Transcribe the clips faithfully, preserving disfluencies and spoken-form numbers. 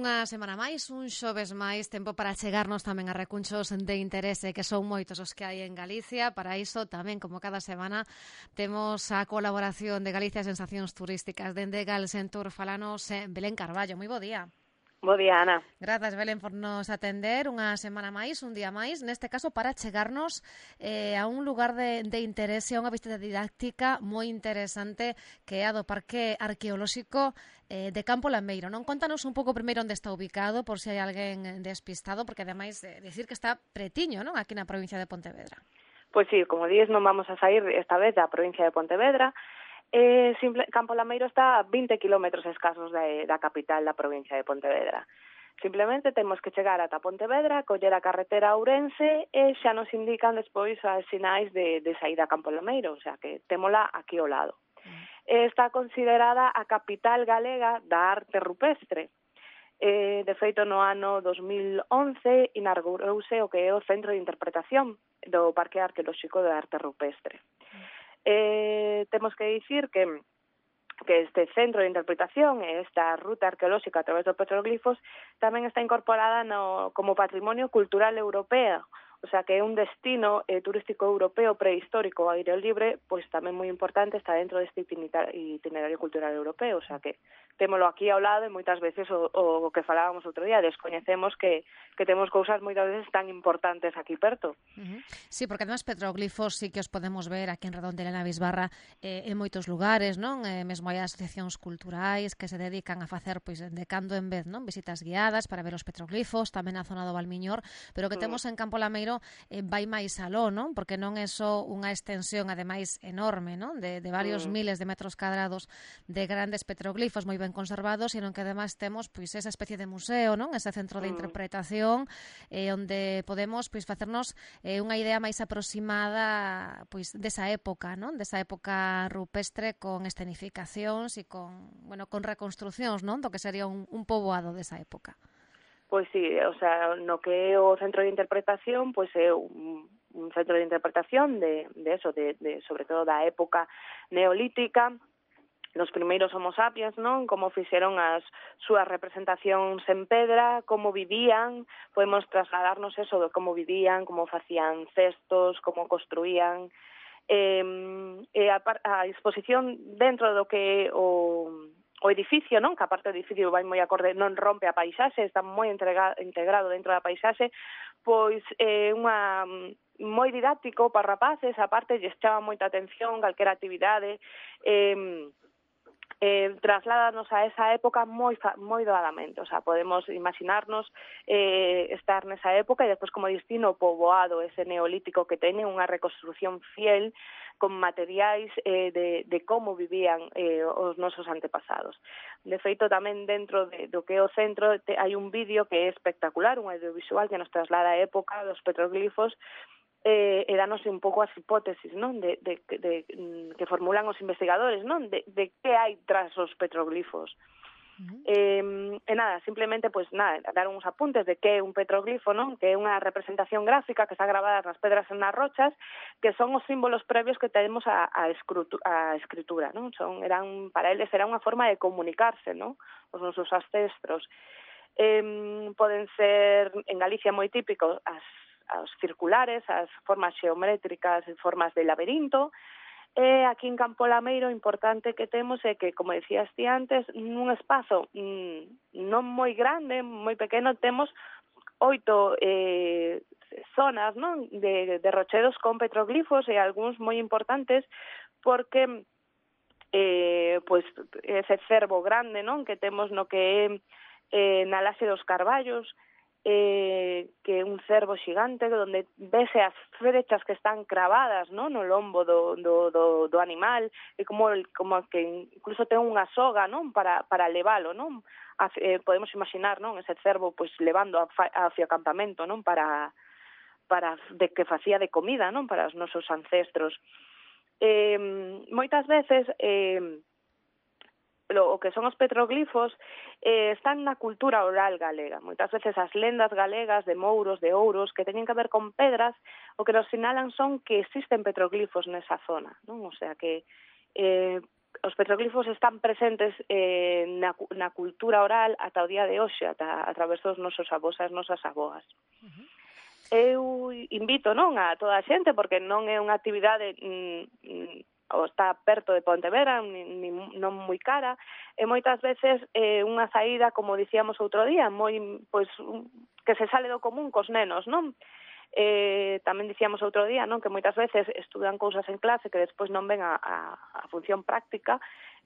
Unha semana máis, un xoves máis, tempo para chegarnos tamén a recunchos de interese que son moitos os que hai en Galicia. Para iso tamén, como cada semana, temos a colaboración de Galicia Sensacións Turísticas dende Galsentur. Falanos Belén Carballo. Moi bo día. Bo día, Ana. Grazas, Belén, por nos atender unha semana máis, un día máis, neste caso para chegarnos eh, a un lugar de, de interese, a unha visita didáctica moi interesante que é a do Parque Arqueolóxico eh, de Campo Lameiro. Non, contanos un pouco primeiro onde está ubicado, por se hai alguén despistado, porque ademais de decir que está pretiño, non, aquí na provincia de Pontevedra. Pois sí, como dices, non vamos a sair esta vez da provincia de Pontevedra. Eh, simple, Campo Lameiro está a vinte kilómetros escasos da, da capital da provincia de Pontevedra. Simplemente temos que chegar ata Pontevedra, coller a carretera a Ourense e xa nos indican despois as sinais de, de saída a Campo Lameiro, o sea que témola aquí ao lado. Mm. Está considerada a capital galega da arte rupestre. Eh, de feito, no ano dos mil once inaugurouse o que é o Centro de Interpretación do Parque Arqueolóxico de Arte Rupestre. Mm. Eh, temos que dicir que que este centro de interpretación e esta ruta arqueolóxica a través dos petroglifos tamén está incorporada no, como patrimonio cultural europeo, o sea que é un destino eh, turístico europeo prehistórico ao aire libre, pois tamén moi importante, está dentro deste itinerario cultural europeo, o sea que témolo aquí ao lado e moitas veces o, o que falábamos outro día, descoñecemos que, que temos cousas moitas veces tan importantes aquí perto. Uh-huh. Sí, porque además petroglifos sí que os podemos ver aquí en Redondela na Bisbarra eh, en moitos lugares, non? Eh, mesmo hai asociacións culturais que se dedican a facer pois de cando en vez, non? Visitas guiadas para ver os petroglifos, tamén na zona do Valmiñor, pero que temos en Campo Lameiro eh, vai máis aló, non? Porque non é só unha extensión ademais enorme, non? De, de varios mm. miles de metros cadrados de grandes petroglifos moi ben conservados, sino que ademais temos pois esa especie de museo, non? Ese centro de interpretación eh, onde podemos pois facernos eh, unha idea máis aproximada pois desa época, non? Desa época rupestre con escenificacións e con, bueno, con reconstrucións, non? Do que sería un, un poboado desa época. Pois sí, o sea, no que é o centro de interpretación, pois é un, un centro de interpretación de, de eso, de, de sobre todo da época neolítica, nos primeiros homo sapiens, non? Como fixeron as súas representacións en pedra, como vivían, podemos trasladarnos eso de como vivían, como facían cestos, como construían, eh, e a, a exposición dentro do que o o edificio, non? Que aparte o edificio vai moi acorde, non rompe a paisaxe, está moi entrega, integrado dentro da paisaxe, pois é eh, unha moi didáctico para rapaces, aparte lles chama moita atención, calquera actividade, eh, eh, trasládanos a esa época moi moi doadamente, o sea, podemos imaginarnos eh, estar nesa época e despois como destino poboado ese neolítico que teñe unha reconstrucción fiel con materiais eh, de, de como vivían eh, os nosos antepasados. De feito, tamén dentro de, do que é o centro te, hai un vídeo que é espectacular, un audiovisual que nos traslada a época dos petroglifos eh, e danos un pouco as hipótesis, non? De, de, de, de, que formulan os investigadores, non? De, de que hai tras os petroglifos. Uh-huh. Eh, e nada, simplemente, pues nada, dar uns apuntes de que é un petroglifo, non? Que é unha representación gráfica que está grabada nas pedras e nas rochas, que son os símbolos previos que tenemos a, a, escrutu, a escritura, non? Son, eran, para eles era unha forma de comunicarse, non? Os nosos ancestros. Eh, poden ser, en Galicia moi típicos, as, as circulares, as formas xeométricas, formas de laberinto. E aquí en Campo Lameiro, importante que temos é que, como decías ti antes, nun espazo mmm, non moi grande, moi pequeno, temos oito eh, zonas, non? De, de rochedos con petroglifos e algúns moi importantes porque eh, pues, ese cervo grande, non? Que temos no que é eh, na Laxe dos Carballos, eh, que é un cervo xigante onde vese as frechas que están cravadas, ¿no? No lombo do, do, do, do animal, e como, como que incluso ten unha soga, non? Para, para levalo, non? A, eh, podemos imaginar, non? Ese cervo pues levando hacia o campamento, non? Para, para de que facía de comida, non? Para os nosos ancestros. Eh, moitas veces eh, o que son os petroglifos eh, están na cultura oral galega. Moitas veces as lendas galegas de mouros, de ouros, que teñen que ver con pedras, o que nos sinalan son que existen petroglifos nesa zona, non? O sea que eh, os petroglifos están presentes eh, na, na cultura oral ata o día de hoxe, ata a través dos nosos avós e as nosas avoas. Uh-huh. Eu invito, non, a toda a xente, porque non é unha actividade mm, ou está perto de Pontevedra, ni, ni, non moi cara, e moitas veces é eh, unha saída, como dicíamos outro día, moi, pois, que se sale do común cos nenos, non? Eh, tamén dicíamos outro día, non, que moitas veces estudan cousas en clase que despois non ven a, a, a función práctica.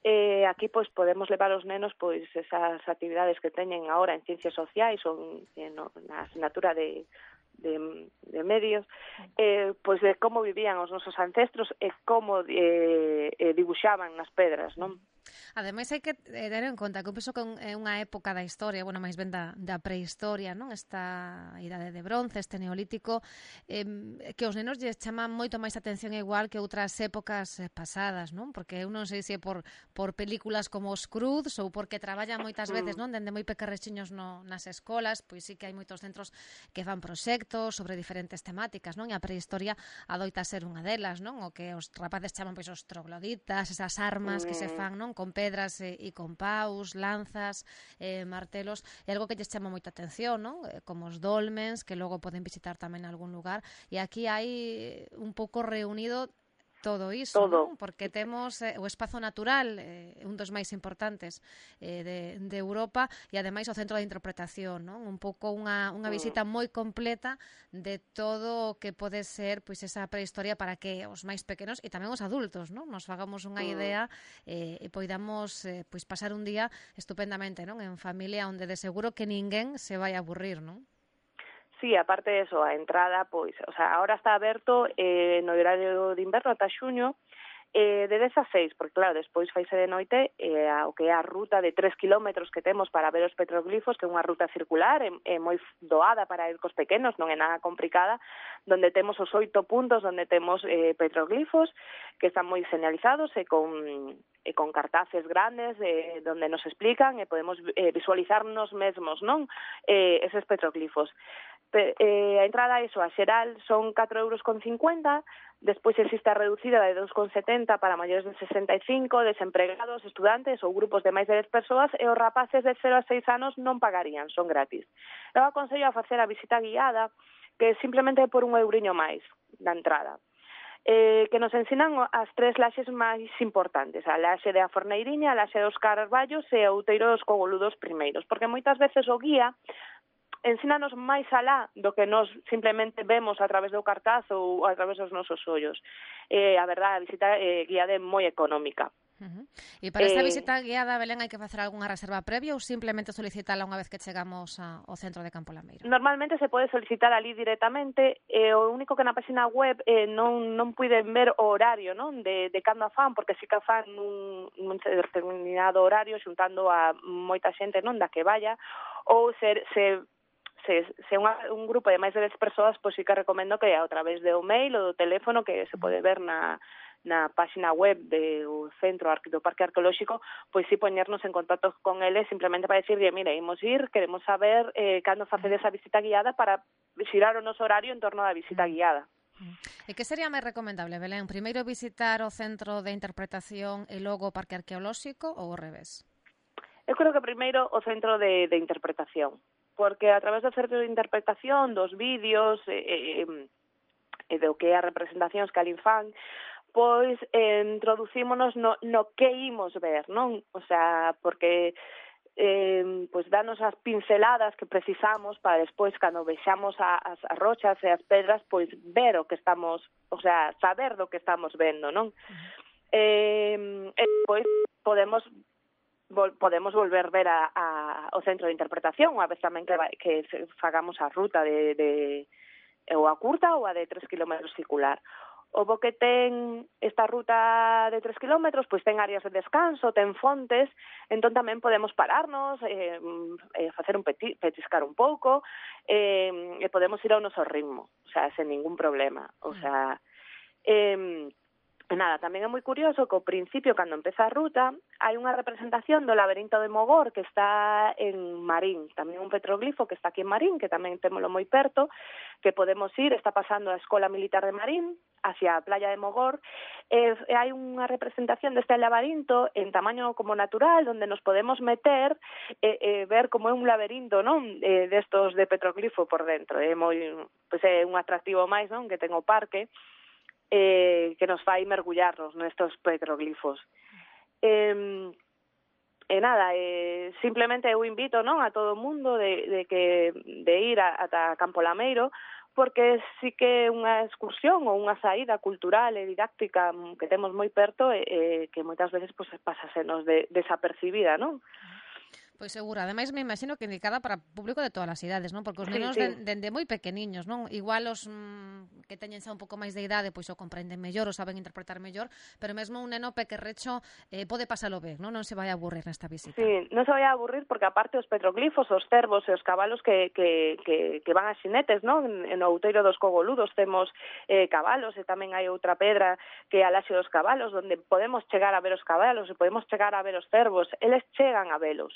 Eh, aquí pois podemos levar os nenos pois esas actividades que teñen agora en ciencias sociais ou en, no, na asignatura de De, de medios, eh, pois de como vivían os nosos ancestros e como eh, eh, dibuixaban nas pedras, non? Ademais, hai que ter en conta que eu penso que é unha época da historia, bueno, máis ben da, da prehistoria, non? Esta idade de bronce, este neolítico, eh, que os nenos lles chaman moito máis atención igual que outras épocas pasadas, non? Porque eu non sei se é por, por películas como os Cruz ou porque traballan moitas veces, non? Dende moi pequerrexiños no, nas escolas, pois sí que hai moitos centros que fan proxectos sobre diferentes temáticas, non? E a prehistoria adoita ser unha delas, non? O que os rapaces chaman pois os trogloditas, esas armas que se fan, non? Con pedras e, e con paus, lanzas, eh, martelos, é algo que lles chama moita atención, non? Como os dolmens, que logo poden visitar tamén algún lugar, e aquí hai un pouco reunido todo iso, todo. Non? Porque temos eh, o espazo natural, eh, un dos máis importantes eh, de, de Europa, e ademais o centro de interpretación, non? Un pouco unha, unha visita moi completa de todo o que pode ser pois esa prehistoria para que os máis pequenos e tamén os adultos, non? Nos fagamos unha idea eh, e poidamos eh, pois pasar un día estupendamente, non? En familia, onde de seguro que ninguén se vai a aburrir, non? Sí, aparte de eso, a entrada, pois, o sea, ahora está aberto eh, no horario de inverno ata xuño, eh, de dez a seis, porque claro, despois faise de noite eh, o que é a ruta de tres kilómetros que temos para ver os petroglifos, que é unha ruta circular, é, é moi doada para ir cos pequenos, non é nada complicada, donde temos os oito puntos, donde temos eh, petroglifos, que están moi señalizados e con, e con cartaces grandes, eh, donde nos explican e podemos eh, visualizarnos mesmos, non? Eh, eses petroglifos. Pe, eh, a entrada, iso, a xeral, son catro euros con cincuenta, despois existe a reducida de dos con setenta para maiores de sesenta e cinco, desempregados, estudantes ou grupos de máis de dez persoas, e os rapaces de cero a seis anos non pagarían, son gratis. Eu aconsello a facer a visita guiada, que simplemente por un euriño máis da entrada. Eh, que nos ensinan as tres laxes máis importantes, a laxe de a Forneiriña, a laxe dos Carballos e o Outeiro dos Cogoludos primeiros, porque moitas veces o guía ensínanos máis alá do que nos simplemente vemos a través do cartaz ou a través dos nosos ollos. Eh, a verdade, a visita eh, guiada é moi económica. Uh-huh. E para esta eh, visita guiada, Belén, hai que facer algunha reserva previa ou simplemente solicitala unha vez que chegamos a, ao centro de Campo Lameiro? Normalmente se pode solicitar ali directamente, eh, o único que na página web eh, non, non puiden ver o horario, non, de, de cando a fan, porque si que a fan nun, nun determinado horario xuntando a moita xente, non, da que vaya, ou se, se se, se unha, un grupo de máis de dez persoas, pois sí que recomendo que a través do mail ou do teléfono que se pode ver na na página web do Centro do Parque Arqueolóxico, pois si poñernos en contacto con eles simplemente para decirle, mira, imos ir, queremos saber eh, cando facedes a visita guiada para xirar o noso horario en torno á visita guiada. E que sería máis recomendable, Belén? Primeiro visitar o Centro de Interpretación e logo o Parque Arqueolóxico ou ao revés? Eu creo que primeiro o Centro de, de Interpretación, porque a través do Centro de Interpretación, dos vídeos e, e, e do que é as representacións que alí fan, pois eh, introducímonos no, no que imos ver, non? O sea, porque eh, pois danos as pinceladas que precisamos para despois, cando vexamos a, as, as rochas e as pedras, pois ver o que estamos, o sea, saber do que estamos vendo, non? Uh-huh. Eh, e pois podemos vol, podemos volver ver a, a, o centro de interpretación, unha vez tamén que, que fagamos a ruta de, de ou a curta ou a de tres kilómetros circular. O bo que ten esta ruta de tres kilómetros, pois ten áreas de descanso, ten fontes, entón tamén podemos pararnos, eh, eh, facer un peti, petiscar un pouco, eh, e podemos ir ao noso ritmo, o sea, sen ningún problema. O sea, eh, E nada, tamén é moi curioso que ao principio, cando empeza a ruta, hai unha representación do laberinto de Mogor que está en Marín, tamén un petroglifo que está aquí en Marín, que tamén témolo moi perto, que podemos ir, está pasando a Escola Militar de Marín, hacia a playa de Mogor, e, e hai unha representación deste laberinto en tamaño como natural, onde nos podemos meter e, e ver como é un laberinto, non, e, destos de petroglifo por dentro. É moi, pois é un atractivo máis, non, que ten o parque, eh, que nos fai mergullarnos nestos petroglifos. Eh, e nada, eh, simplemente eu invito, non, a todo o mundo de, de que de ir a, ata Campo Lameiro, porque sí que é unha excursión ou unha saída cultural e didáctica que temos moi perto e, e que moitas veces pues, pasasenos de, desapercibida, non? Pois seguro, ademais me imagino que indicada para público de todas as idades, non? Porque os nenos sí, sí. dende de moi pequeniños, non? Igual os mm, que teñen xa un pouco máis de idade, pois o comprenden mellor, o saben interpretar mellor, pero mesmo un neno pequerrecho eh, pode pasalo ben, non? Non se vai a aburrir nesta visita. Sí, non se vai a aburrir porque aparte os petroglifos, os cervos e os cabalos que, que, que, que van a xinetes, non? En o outeiro dos Cogoludos temos eh, cabalos e tamén hai outra pedra que é a Laxe dos Cabalos, onde podemos chegar a ver os cabalos e podemos chegar a ver os cervos. Eles chegan a velos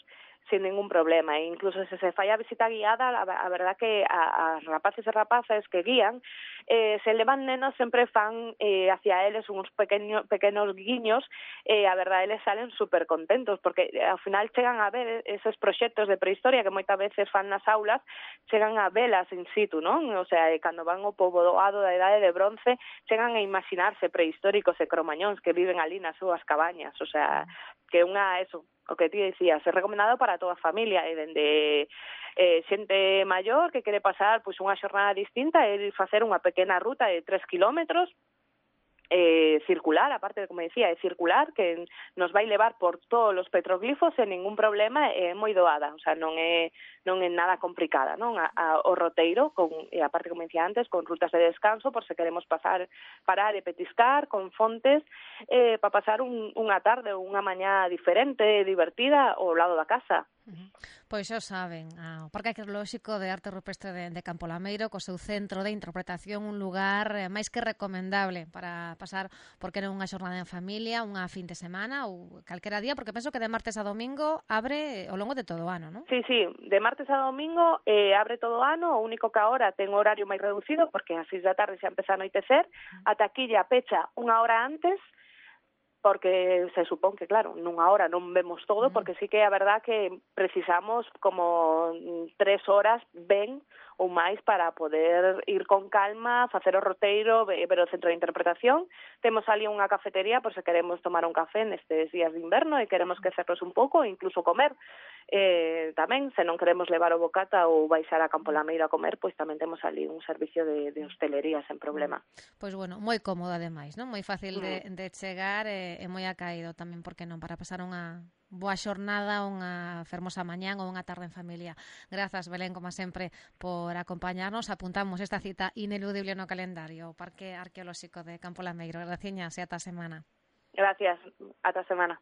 sin ningún problema, e incluso se se fai a visita guiada, a, a verdad que a, a rapaces e rapazas que guían, eh, se levan nenos, sempre fan eh, hacia eles uns pequeño, pequenos guiños, e eh, a verdade eles salen super contentos, porque eh, ao final chegan a ver esos proxectos de prehistoria que moitas veces fan nas aulas, chegan a velas in situ, non? O sea, cando van ao poboado da Idade de Bronce, chegan a imaginarse prehistóricos e cromañóns que viven ali nas súas cabañas, o sea, que unha, eso, o que ti decías, é recomendado para toda a familia, e dende eh, xente maior que quere pasar pois unha xornada distinta e facer unha pequena ruta de tres kilómetros, eh, circular, aparte de, como decía, é circular, que nos vai levar por todos os petroglifos sen ningún problema, é moi doada, o sea, non é non é nada complicada, non? A, a, o roteiro, con, e aparte, como decía antes, con rutas de descanso, por se queremos pasar, parar e petiscar, con fontes, eh, para pasar un, unha tarde ou unha mañá diferente, divertida, ao lado da casa. Uh-huh. Pois xa saben, ah, o Parque Arqueolóxico de Arte Rupestre de, de Campo Lameiro, co seu centro de interpretación, un lugar eh, máis que recomendable para pasar, porque non unha xornada en familia, unha fin de semana ou calquera día, porque penso que de martes a domingo abre ao longo de todo o ano, non? Sí, sí, de martes a domingo eh, abre todo o ano, o único que agora ten horario máis reducido, porque ás seis da tarde xa empeza a anoitecer, a taquilla pecha unha hora antes, porque se supón que, claro, nunha hora non vemos todo, porque sí que é a verdad que precisamos como tres horas ben ou máis para poder ir con calma, facer o roteiro, ver o centro de interpretación. Temos ali unha cafetería por se queremos tomar un café nestes días de inverno e queremos quecernos un pouco, incluso comer. Eh, tamén, se non queremos levar o bocata ou baixar a Campo Lameiro a comer, pois tamén temos ali un servicio de, de hostelería sen problema. Pois bueno, moi cómodo ademais, non? Moi fácil de, de chegar e, e moi acaído tamén, porque non, para pasar unha boa xornada, unha fermosa mañán ou unha tarde en familia. Grazas, Belén, como sempre, por acompañarnos. Apuntamos esta cita ineludible no calendario, o Parque Arqueolóxico de Campo Lameiro. Graciñas e ata a semana. Gracias, ata a semana.